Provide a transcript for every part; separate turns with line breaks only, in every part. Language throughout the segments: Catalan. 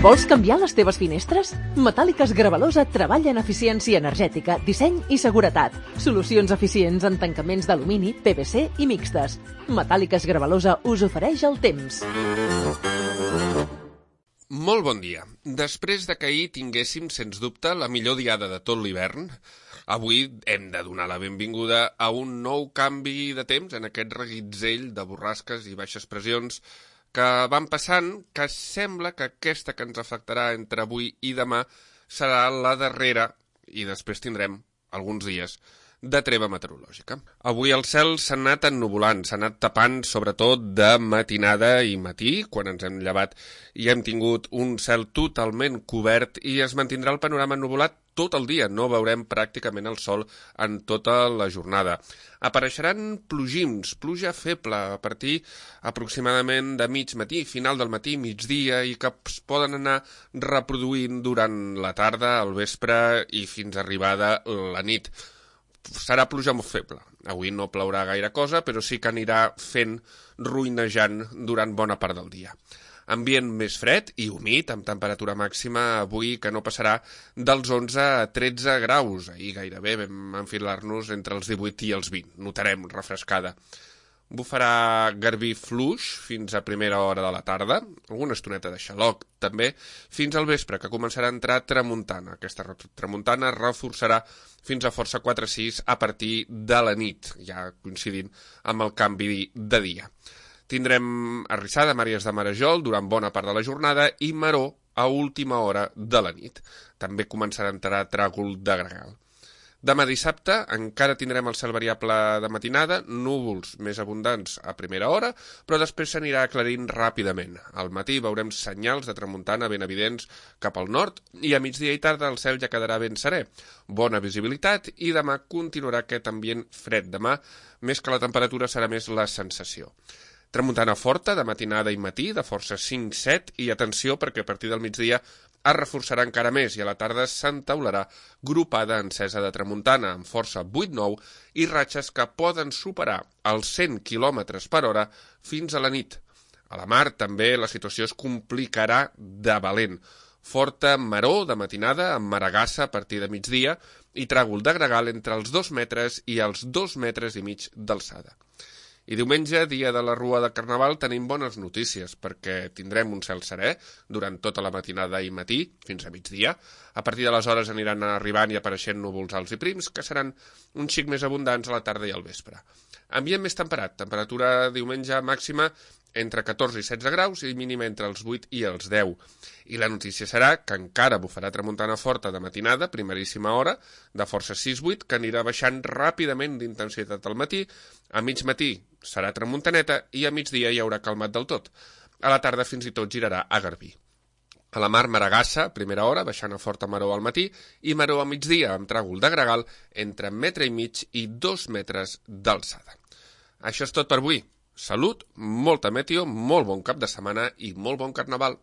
Vols canviar les teves finestres? Metàl·liques Gravalosa treballa en eficiència energètica, disseny i seguretat. Solucions eficients en tancaments d'alumini, PVC i mixtes. Metàl·liques Gravalosa us ofereix el temps.
Molt bon dia. Després de que ahir tinguéssim, sens dubte, la millor diada de tot l'hivern, avui hem de donar la benvinguda a un nou canvi de temps en aquest reguitzell de borrasques i baixes pressions que van passant, que sembla que aquesta que ens afectarà entre avui i demà serà la darrera, i després tindrem alguns dies de treva meteorològica. Avui el cel s'ha anat ennuvolant, s'ha anat tapant sobretot de matinada i matí, quan ens hem llevat i hem tingut un cel totalment cobert i es mantindrà el panorama ennuvolat tot el dia, no veurem pràcticament el sol en tota la jornada. Apareixeran plogims, pluja feble a partir aproximadament de mig matí, final del matí, migdia, i que es poden anar reproduint durant la tarda, al vespre i fins arribada la nit. Serà pluja molt feble. Avui no plourà gaire cosa, però sí que anirà fent ruïnejant durant bona part del dia. Ambient més fred i humit, amb temperatura màxima avui que no passarà dels 11 a 13 graus. Ahir gairebé vam enfilar-nos entre els 18 i els 20. Notarem refrescada. Bufarà garbí fluix fins a primera hora de la tarda, alguna estoneta de xaloc també, fins al vespre, que començarà a entrar tramuntana. Aquesta tramuntana reforçarà fins a força 4-6 a partir de la nit, ja coincidint amb el canvi de dia. Tindrem arrissada a Màries de Marajol durant bona part de la jornada i maror a última hora de la nit. També començarà a entrar tràgol de gregal. Demà dissabte encara tindrem el cel variable de matinada, núvols més abundants a primera hora, però després s'anirà aclarint ràpidament. Al matí veurem senyals de tramuntana ben evidents cap al nord i a migdia i tarda el cel ja quedarà ben serè. Bona visibilitat i demà continuarà aquest ambient fred. Demà, més que la temperatura, serà més la sensació. Tramuntana forta de matinada i matí, de força 5-7, i atenció perquè a partir del migdia es reforçarà encara més i a la tarda s'entaularà gropada encesa de tramuntana amb força 8-9 i ratxes que poden superar els 100 km per hora fins a la nit. A la mar també la situació es complicarà de valent. Forta maror de matinada amb maragassa a partir de migdia i tràgol de gregal entre els 2 metres i els 2 metres i mig d'alçada. I diumenge, dia de la Rua de Carnaval, tenim bones notícies, perquè tindrem un cel serè durant tota la matinada i matí, fins a migdia. A partir de les hores aniran arribant i apareixent núvols alts i prims, que seran un xic més abundants a la tarda i al vespre. Ambient més temperat, temperatura diumenge màxima entre 14 i 16 graus i mínima entre els 8 i els 10. I la notícia serà que encara bufarà tramuntana forta de matinada, primeríssima hora, de força 6-8, que anirà baixant ràpidament d'intensitat al matí. A mig matí serà tramuntaneta i a migdia hi haurà calmat del tot. A la tarda fins i tot girarà a garbí. A la mar, maragassa, primera hora, baixant a forta maror al matí, i maror a migdia, amb tràgol de gregal, entre 1,5 metres i 2 metres d'alçada. Això és tot per avui. Salut, molta meteo, molt bon cap de setmana i molt bon carnaval.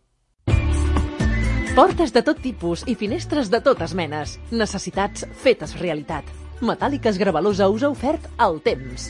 Portes de tot tipus i finestres de totes menes. Necessitats fetes realitat. Metàl·liques Gravalosa us ha ofert el temps.